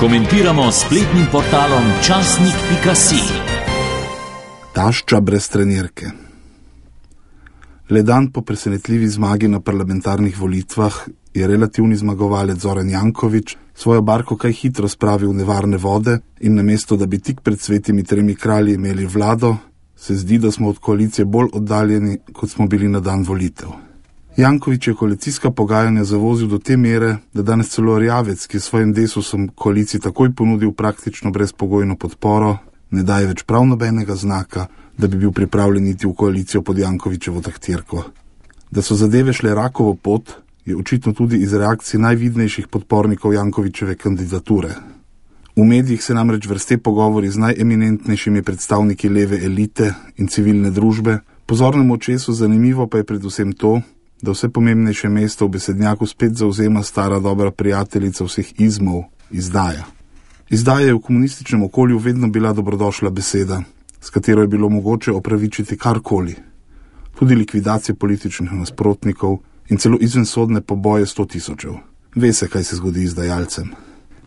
Komentiramo s spletnim portalom časnik.si. Tašča brez trenirke. Le dan po presenetljivi zmagi na parlamentarnih volitvah je relativni zmagovalec Zoran Janković svojo barko kaj hitro spravil v nevarne vode in namesto, da bi tik pred svetimi 3 kralji imeli vlado, se zdi, da smo od koalicije bolj oddaljeni, kot smo bili na dan volitev. Janković je koalicijska pogajanja zavozil do te mere, da danes celo Erjavec, ki je svojim Desusom koaliciji takoj ponudil praktično brezpogojno podporo, ne daje več prav nobenega znaka, da bi bil pripravljen iti v koalicijo pod Jankovićevo taktirko. Da so zadeve šle rakovo pot, je očitno tudi iz reakcij najvidnejših podpornikov Jankovićeve kandidature. V medijih se namreč vrste pogovori z najeminentnejšimi predstavniki leve elite in civilne družbe, pozornemu očesu zanimivo pa je predvsem to, da vse pomembnejše mesto v besednjaku spet zauzema stara dobra prijateljica vseh izmov, izdaja. Izdaja je v komunističnem okolju vedno bila dobrodošla beseda, s katero je bilo mogoče opravičiti karkoli, tudi likvidacije političnih nasprotnikov in celo izvensodne poboje 100 tisočev. Ve se, kaj se zgodi izdajalcem.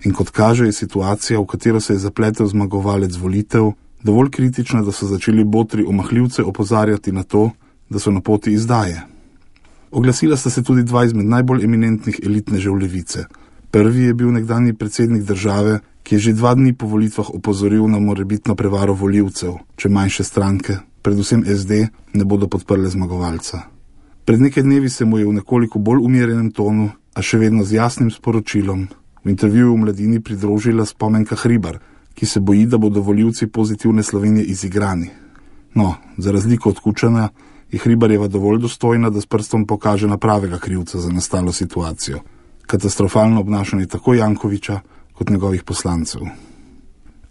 In kot kaže, je situacija, v katero se je zapletel zmagovalec volitev, dovolj kritična, da so začeli botri omahljivce opozarjati na to, da so na poti izdaje. Oglasila sta se tudi 2 izmed najbolj eminentnih elitnežev levice. Prvi je bil nekdanji predsednik države, ki je že 2 dni po volitvah opozoril na morebitno prevaro volivcev, če manjše stranke, predvsem SD, ne bodo podprle zmagovalca. Pred nekaj dnevi se mu je v nekoliko bolj umirjenem tonu, a še vedno z jasnim sporočilom, v intervjuju v Mladini pridružila Spomenka Hribar, ki se boji, da bodo volivci Pozitivne Slovenije izigrani. No, za razliko od Kučana je Hribarjeva dovolj dostojna, da s prstom pokaže na pravega krivca za nastalo situacijo. Katastrofalno obnašanje tako Jankovića kot njegovih poslancev.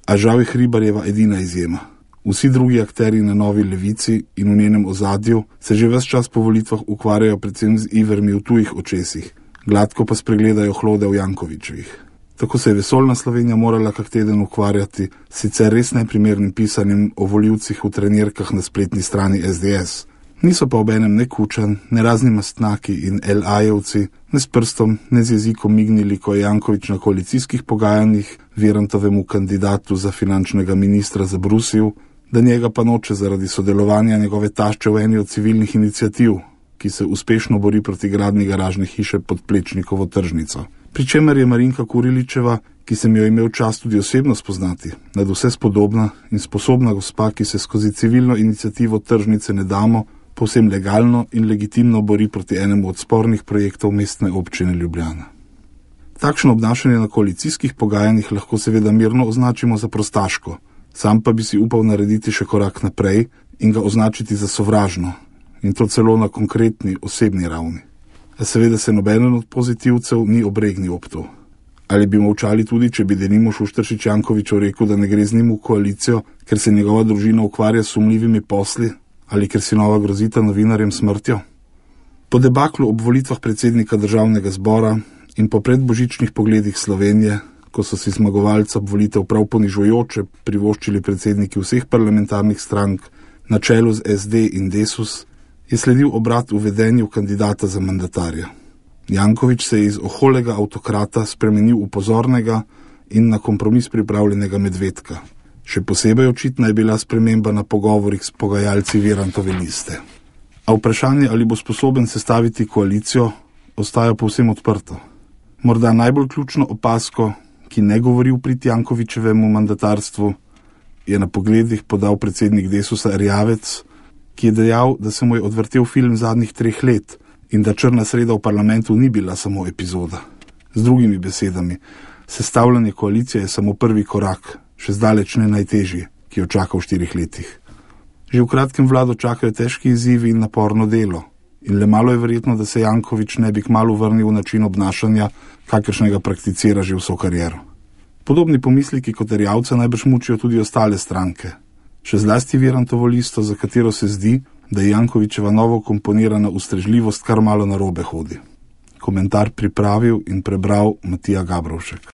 A žal je Hribarjeva edina izjema. Vsi drugi akteri na novi levici in v njenem ozadju se že ves čas po volitvah ukvarjajo predvsem z ivermi v tujih očesih, gladko pa spregledajo hlode v Jankovićevih. Tako se je vesoljna Slovenija morala kak teden ukvarjati sicer res neprimernim pisanjem o volivcih v trenirkah na spletni strani SDS. Niso pa obenem ne Kučan, ne razni mastnaki in LA-jevci, ne s prstom, ne z jezikom mignili, ko je Janković na koalicijskih pogajanjih Virantovemu kandidatu za finančnega ministra zabrusil, da njega pa noče zaradi sodelovanja njegove tašče v eni od civilnih iniciativ, ki se uspešno bori proti gradnji garažne hiše pod Plečnikovo tržnico. Pričemer je Marinka Kuriličeva, ki sem jo imel čast tudi osebno spoznati, nadvse spodobna in sposobna gospa, ki se skozi civilno iniciativo tržnice Ne damo povsem legalno in legitimno bori proti enemu od spornih projektov Mestne občine Ljubljana. Takšno obnašanje na koalicijskih pogajanjih lahko seveda mirno označimo za prostaško, sam pa bi si upal narediti še korak naprej in ga označiti za sovražno, in to celo na konkretni, osebni ravni. A seveda se nobenen od pozitivcev ni obregnil ob to. Ali bi molčali tudi, če bi denimo Šušteršič Jankoviću rekel, da ne gre z njim v koalicijo, ker se njegova družina ukvarja s sumljivimi posli, ali ker si nova grozita novinarjem smrtjo? Po debaklu ob volitvah predsednika državnega zbora in po predbožičnih pogledih Slovenije, ko so si zmagovalca volitev prav ponižujoče privoščili predsedniki vseh parlamentarnih strank na čelu z SD in Desus, je sledil obrat v vedenju kandidata za mandatarja. Janković se je iz oholega avtokrata spremenil v pozornega in na kompromis pripravljenega medvedka. Še posebej očitna je bila sprememba na pogovorih s pogajalci Virantove liste. A vprašanje, ali bo sposoben sestaviti koalicijo, ostaja povsem odprto. Morda najbolj ključno opasko, ki ne govori v prid Jankovićevemu mandatarstvu, je na pogledih podal predsednik Desusa Erjavec, ki je dejal, da se mu je odvrtel film zadnjih 3 let in da črna sreda v parlamentu ni bila samo epizoda. Z drugimi besedami, sestavljanje koalicije je samo prvi korak, še zdaleč ne najtežji, ki jo čaka v 4 letih. Že v kratkem vlado čakajo težki izzivi in naporno delo in le malo je verjetno, da se Janković ne bi kmalu vrnil v način obnašanja, kakršnega prakticira že vso kariero. Podobni pomisliki kot Erjavca najbrž mučijo tudi ostale stranke. Še zlasti Virantovo listo, za katero se zdi, da je Jankovićeva novo komponirana ustrežljivost kar malo narobe hodi. Komentar pripravil in prebral Matija Gabrovšek.